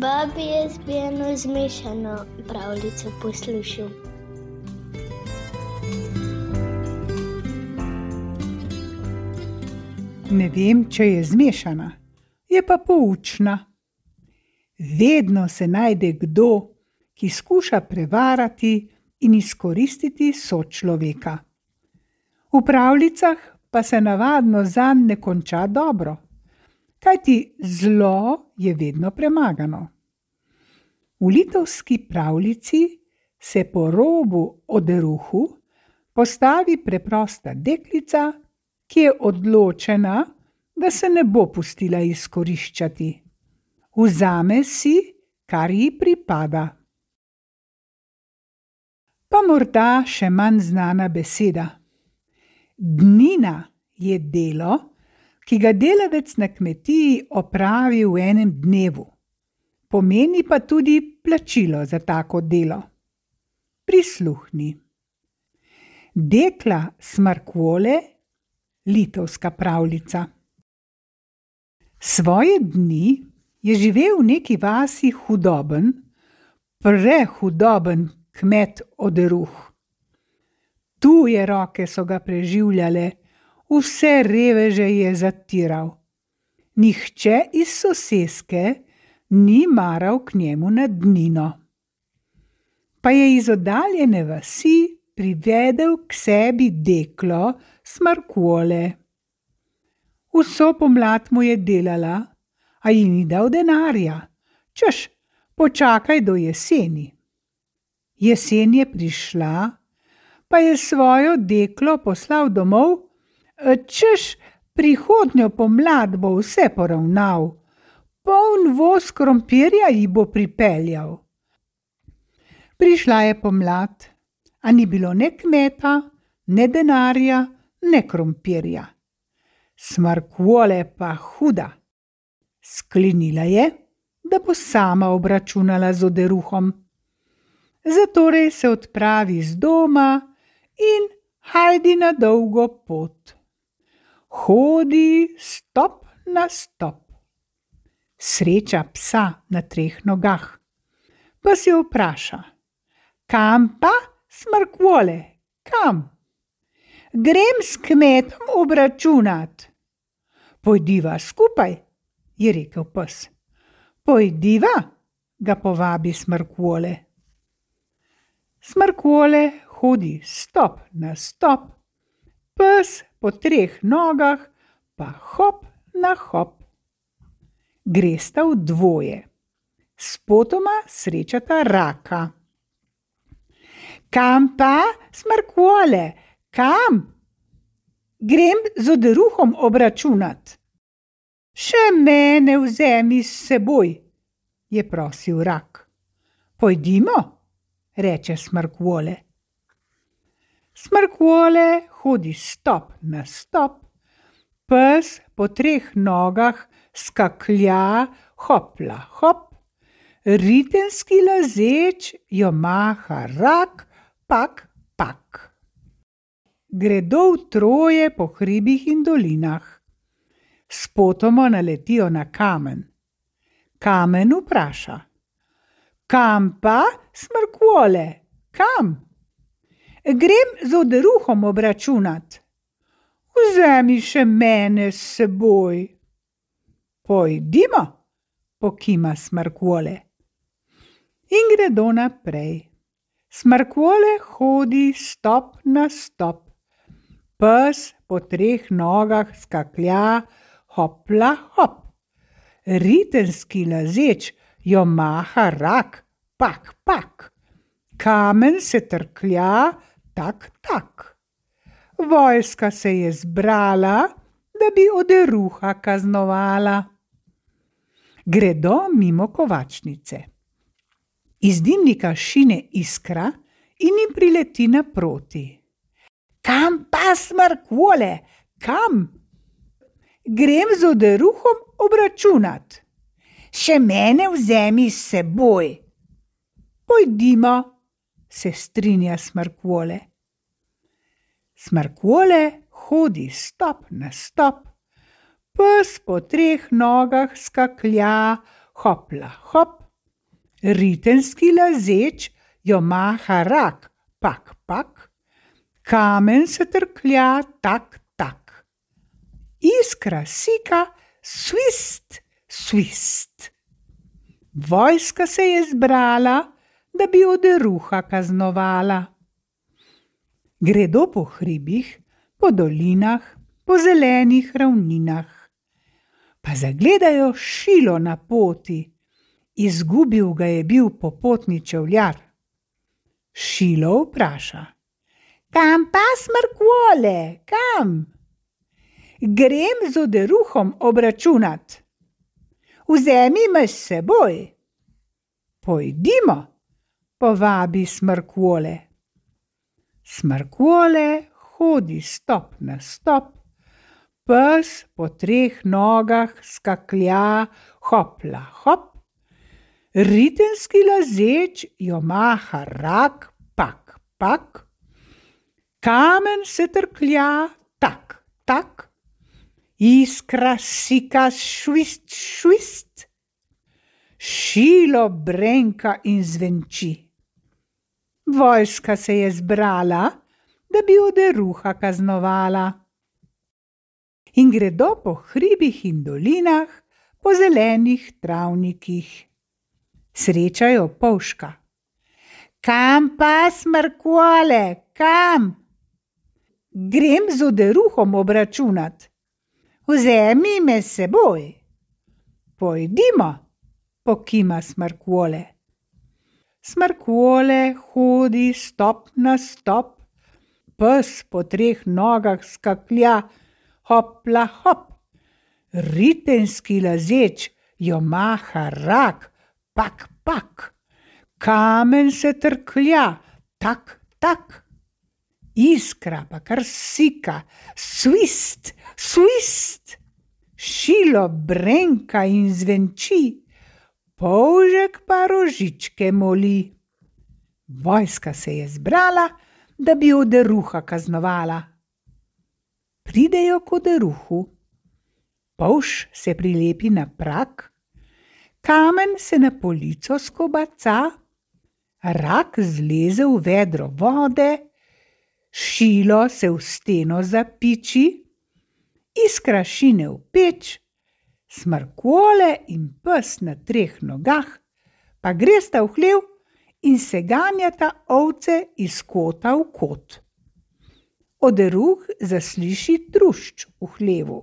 Babi, jaz bi eno zmešano pravljico poslušal. Ne vem, če je zmešana, je pa poučna. Vedno se najde kdo, ki skuša prevarati in izkoristiti sočloveka. V pravljicah pa se navadno zanj ne konča dobro, kajti zlo je vedno premagano. V litovski pravljici se po robu oderuhu postavi preprosta deklica, ki je odločena, da se ne bo pustila izkoriščati. Vzame si, kar ji pripada. Pa morda še manj znana beseda. Dnina je delo, ki ga delavec na kmetiji opravi v enem dnevu. Pomeni pa tudi plačilo za tako delo. Prisluhni. Dekla Smrkvole, litovska pravljica. Svoje dni je živel v neki vasi hudoben, prehudoben kmet Oderuh. Tuje roke so ga preživljale, vse reveže je zatiral. Nihče iz soseske ni maral k njemu na dnino. Pa je iz oddaljene vasi privedel k sebi deklo Smrkvole. Vso pomlad mu je delala, a ji ni dal denarja, češ, počakaj do jeseni. Jesen je prišla, pa je svojo deklo poslal domov, češ, prihodnjo pomlad bo vse poravnal, poln voz krompirja ji bo pripeljal. Prišla je pomlad, a ni bilo ne kmeta, ne denarja, ne krompirja. Smrkvole pa huda. Sklenila je, da bo sama obračunala z Oderuhom. Zatorej se odpravi z doma in hajdi na dolgo pot. Hodi stop na stop. Sreča psa na 3 nogah. Pes jo vpraša: kam pa, Smrkvole, kam? Grem s kmetom obračunat. Pojdiva skupaj, je rekel pes. Pojdiva, ga povabi Smrkvole. Smrkvole hodi stop na stop, pes po 3 nogah pa hop na hop. Gresta v dvoje. Spotoma srečata raka. Kam pa, Smrkvole, kam? Grem z Oderuhom obračunat. Še mene vzemi s seboj, je prosil rak. Pojdimo, reče Smrkvole. Smrkvole hodi stop na stop, pes po 3 nogah skaklja hopla hop, ritenski lazeč jo maha rak, pak, pak. Gredo v troje po hribih in dolinah. Spotoma naletijo na kamen. Kamen vpraša: kam pa, Smrkvole, kam? Grem z Oderuhom obračunat. Vzemi še mene s seboj. Pojdimo, pokima Smrkvole. In gredo naprej. Smrkvole hodi stop na stop. Pes po 3 nogah skaklja hopla hop. Ritenski lazeč jo maha rak, pak, pak. Kamen se trklja, tak, tak. Vojska se je zbrala, da bi Oderuha kaznovala. Gredo mimo kovačnice. Iz dimnika šine iskra in jim prileti naproti. Kam pa, Smrkvole, kam? Grem z Oderuhom obračunat. Še mene vzemi s seboj. Pojdimo, se strinja Smrkvole. Smrkvole hodi stop na stop, pes po 3 nogah skaklja hopla hop, Ritenski lazeč jo maha rak, pak, pak, kamen se trklja, tak, tak. Iskra sika, svist, svist. Vojska se je zbrala, da bi oderuha kaznovala. Gredo po hribih, po dolinah, po zelenih ravninah. Pa zagledajo šilo na poti, izgubil ga je bil popotni čevljar. Šilo vpraša: Kam pa, Smrkvole, kam? Grem z oderuhom obračunat. Vzemi me s seboj. Pojdimo, povabi Smrkvole. Smrkvole hodi stop na stop, pes po 3 nogah skaklja, hopla, hop. Ritenski lazeč jo maha rak, pak, pak, kamen se trklja, tak, tak, iskra sika, švist, švist, šilo brenka in zvenči. Vojska se je zbrala, da bi oderuha kaznovala. In gredo po hribih in dolinah, po zelenih travnikih. Srečajo polžka. Kam pa, Smrkvole, kam? Grem z oderuhom obračunat. Vzemi me s seboj. Pojdimo, pokima Smrkvole. Smrkvole hodi stop na stop, pes po 3 nogah skaklja, hopla, hop. Ritenski lazeč jo maha rak, pak, pak, kamen se trklja, tak, tak, iskra pa kar sika, svist, svist, šilo brenka in zvenči, polžek pa rožičke moli. Vojska se je zbrala, da bi oderuha kaznovala. Pridejo k oderuhu. Polž se prilepi na prak, kamen se na polico skobaca, rak zleze v vedro vode, šilo se v steno zapiči, iskra šine v peč, Smrkvole in pes na 3 nogah pa gresta v hlev in se ganjata ovce iz kota v kot. Oderuh zasliši trušč v hlevu.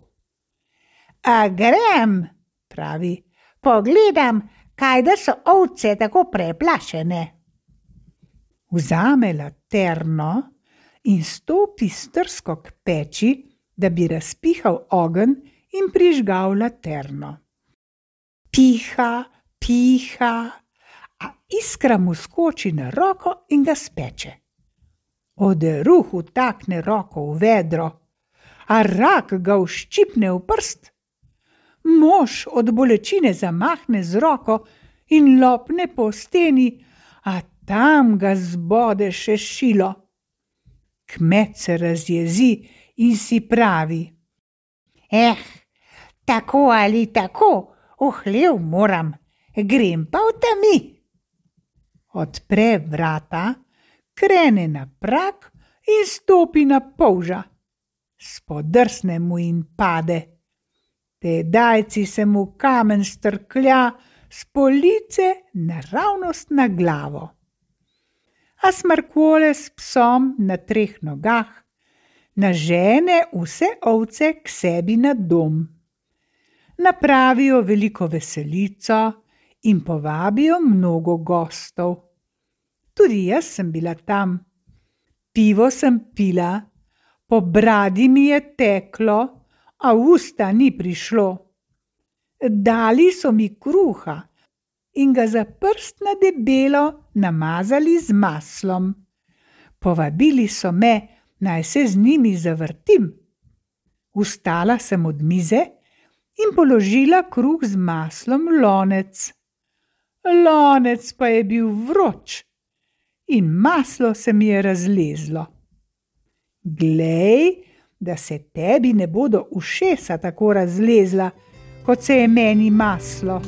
A grem, pravi, pogledam, kaj da so ovce tako preplašene. Vzame laterno in stopi strsko k peči, da bi razpihal ogenj in prižgal laterno. Piha, piha, a iskra mu skoči na roko in ga speče. Oderuh vtakne roko v vedro, a rak ga vščipne v prst. Mož od bolečine zamahne z roko in lopne po steni, a tam ga zbode še šilo. Kmet se razjezi in si pravi: tako ali tako, v hlev moram, grem pa v temi. Odpre vrata, krene na prak in stopi na polža. Spodrsne mu in pade. Tedajci se mu kamen strklja s police naravnost na glavo. A Smrkvole s psom na 3 nogah nažene vse ovce k sebi na dom. Napravijo veliko veselico in povabijo mnogo gostov. Tudi jaz sem bila tam. Pivo sem pila, po bradi mi je teklo, a v usta ni prišlo. Dali so mi kruha in ga za prst na debelo namazali z maslom. Povabili so me, naj se z njimi zavrtim. Vstala sem od mize in položila kruh z maslom v lonec. Lonec pa je bil vroč in maslo se mi je razlezlo. Glej, da se tebi ne bodo ušesa tako razlezla, kot se je meni maslo.